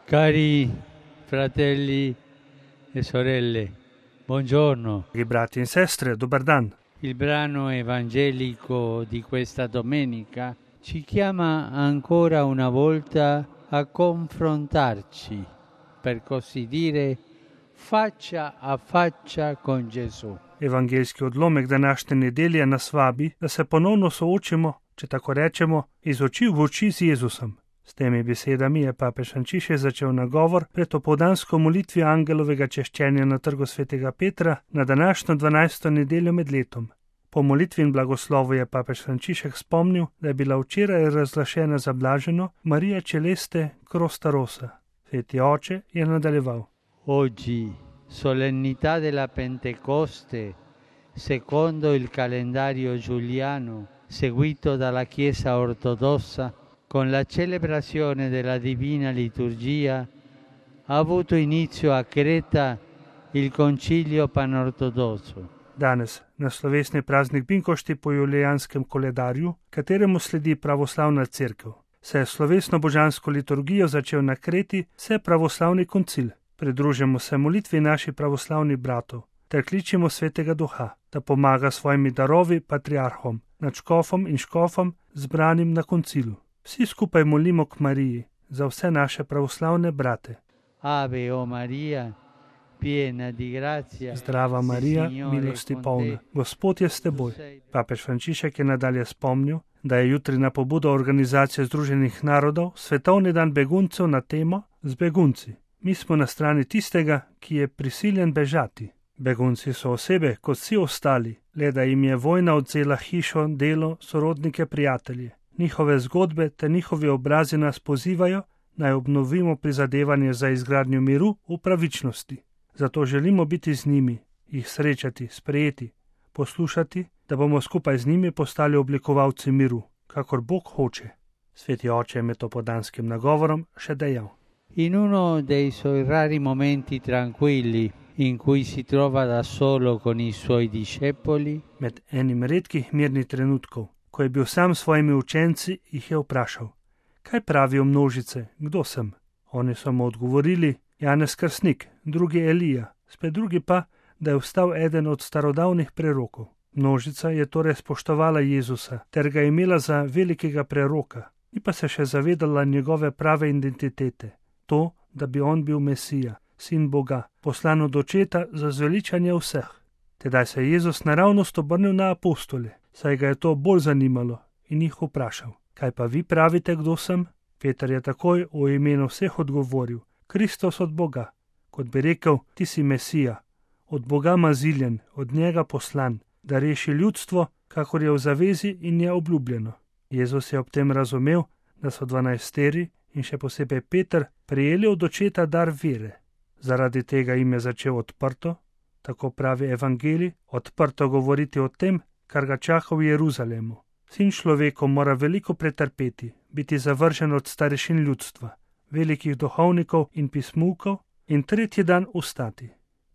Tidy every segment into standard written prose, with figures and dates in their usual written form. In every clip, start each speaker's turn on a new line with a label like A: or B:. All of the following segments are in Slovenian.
A: Cari fratelli e sorelle, buongiorno.
B: Dragi brati in sestre, dobar dan.
A: Il brano evangelico di questa domenica ci chiama ancora una volta a confrontarci, per così dire, faccia a faccia con Gesù.
B: Evangeljski odlomek današnje nedelje nas vabi, da se ponovno soočimo, če tako rečemo, iz oči v oči z Jezusom. S temi besedami je papež Frančišek začel nagovor pred opoldansko molitvijo angelovega češčenja na trgu svetega Petra na današnjo 12. nedeljo med letom. Po molitvi in blagoslovu je papež Frančišek spomnil, da je bila včeraj razglašena za blaženo Maria Celeste Crosta Rosa. Sveti oče je nadaljeval.
A: Oggi, solennità della Pentecoste, secondo il calendario giuliano, seguito dalla Chiesa ortodossa, con la celebrazione della Divina Liturgia, ha avuto inizio a Creta il Concilio Panortodosso.
B: Danes, na slovesni praznik Binkošti po julijanskem koledarju, kateremu sledi pravoslavna cerkev, se je slovesno božansko liturgijo začel na Kreti vse pravoslavni koncil. Pridružimo se molitvi naših pravoslavnih bratov ter kličimo Svetega Duha, da pomaga svojimi darovi patriarhom, nadškofom in škofom zbranim na koncilu. Vsi skupaj molimo k Mariji za vse naše pravoslavne brate.
A: Ave o Maria, piena di grazia.
B: Zdrava Marija, milosti polna, Gospod je s teboj. Papež Frančišek je nadalje spomnil, da je jutri na pobudo Organizacije Združenih narodov svetovni dan beguncev na temo z begunci. Mi smo na strani tistega, ki je prisiljen bežati. Begunci so osebe kot vsi ostali, le da jim je vojna odvzela hišo, delo, sorodnike, prijatelje. Njihove zgodbe te njihovi obrazi nas pozivajo, naj obnovimo prizadevanje za izgradnjo miru v pravičnosti. Zato želimo biti z njimi, jih srečati, sprejeti, poslušati, da bomo skupaj z njimi postali oblikovalci miru, kakor Bog hoče. Sveti oče je med opoldanskim nagovorom še dejal.
A: In uno dei suoi rari momenti tranquilli, in cui si trova da solo con i suoi discepoli,
B: Med enim redkih mirnih trenutkov, ko je bil sam s svojimi učenci, jih je vprašal: kaj pravijo množice, kdo sem? Oni so mu odgovorili: Janez Krstnik, drugi Elija, spet drugi pa, da je vstal eden od starodavnih prerokov. Množica je torej spoštovala Jezusa ter ga imela za velikega preroka, ni pa se še zavedala njegove prave identitete, to, da bi on bil Mesija, sin Boga, poslan od očeta za zveličanje vseh. Tedaj se je Jezus naravnost obrnil na apostole, saj ga je to bolj zanimalo, in jih vprašal: kaj pa vi pravite, kdo sem? Peter je takoj v imenu vseh odgovoril: Kristus od Boga. Kot bi rekel, ti si Mesija, od Boga maziljen, od njega poslan, da reši ljudstvo, kakor je v zavezi in je obljubljeno. Jezus je ob tem razumel, da so 12 in še posebej Peter prejeli od očeta dar vere. Zaradi tega jim je začel odprto, tako pravi evangelij, odprto govoriti o tem, kar ga čaka v Jeruzalemu. Sin človekov mora veliko pretrpeti, biti zavržen od starešin ljudstva, velikih duhovnikov in pismukov in tretji dan vstati.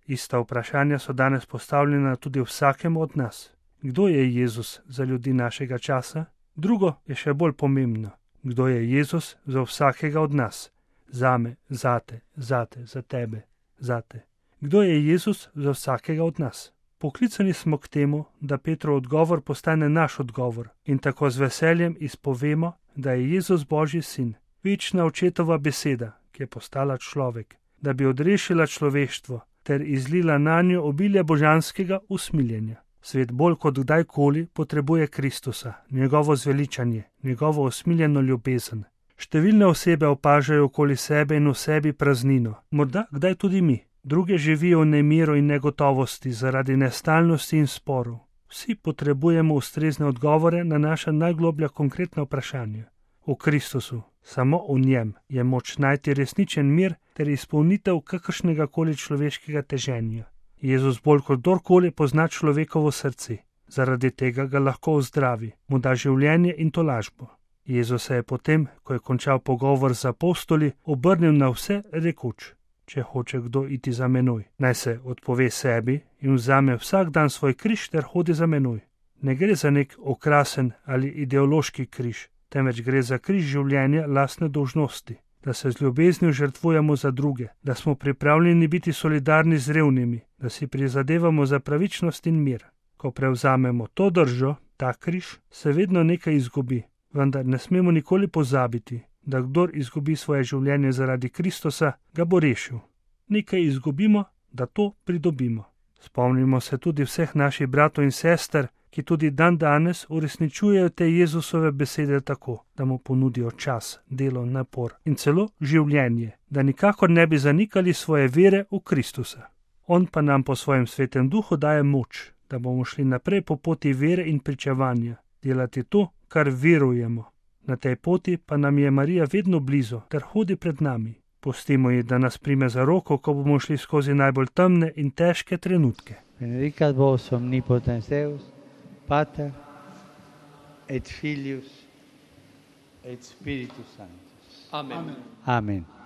B: Ista vprašanja so danes postavljena tudi vsakemu od nas. Kdo je Jezus za ljudi našega časa? Drugo je še bolj pomembno. Kdo je Jezus za vsakega od nas? Zame, zate, za tebe, zate. Kdo je Jezus za vsakega od nas? Poklicani smo k temu, da Petrov odgovor postane naš odgovor in tako z veseljem izpovemo, da je Jezus Božji sin, večna očetova beseda, ki je postala človek, da bi odrešila človeštvo ter izlila nanjo obilje božanskega usmiljenja. Svet bolj kot kdajkoli potrebuje Kristusa, njegovo zveličanje, njegovo usmiljeno ljubezen. Številne osebe opažajo okoli sebe in v sebi praznino, morda kdaj tudi mi. Druge živijo v nemiru in negotovosti zaradi nestalnosti in sporov. Vsi potrebujemo ustrezne odgovore na naša najgloblja konkretna vprašanja. V Kristusu, samo v njem, je moč najti resničen mir ter izpolnitev kakršnega koli človeškega teženja. Jezus bolj kot kdorkoli pozna človekovo srce, zaradi tega ga lahko ozdravi, mu da življenje in tolažbo. Jezus se je potem, ko je končal pogovor z apostoli, obrnil na vse rekoč: če hoče kdo iti za menoj, naj se odpove sebi in vzame vsak dan svoj križ ter hodi za menoj. Ne gre za nek okrasen ali ideološki križ, temveč gre za križ življenja lastne dolžnosti. da se z ljubeznijo žrtvujemo za druge, da smo pripravljeni biti solidarni z revnimi, da si prizadevamo za pravičnost in mir. Ko prevzamemo to držo, ta križ, se vedno nekaj izgubi, vendar ne smemo nikoli pozabiti, da kdor izgubi svoje življenje zaradi Kristusa, ga bo rešil. Nekaj izgubimo, da to pridobimo. Spomnimo se tudi vseh naših bratov in sester, ki tudi dan danes uresničujejo te Jezusove besede tako, da mu ponudijo čas, delo, napor in celo življenje, da nikakor ne bi zanikali svoje vere v Kristusa. On pa nam po svojem svetem duhu daje moč, da bomo šli naprej po poti vere in pričevanja, delati to, kar verujemo. Na tej poti pa nam je Marija vedno blizu, ter hodi pred nami. Pustimo ji, da nas prime za roko, ko bomo šli skozi najbolj temne in težke trenutke.
A: Benedicat vos omnipotens Deus, Pater et Filius et Spiritus Sanctus.
C: Amen.
A: Amen.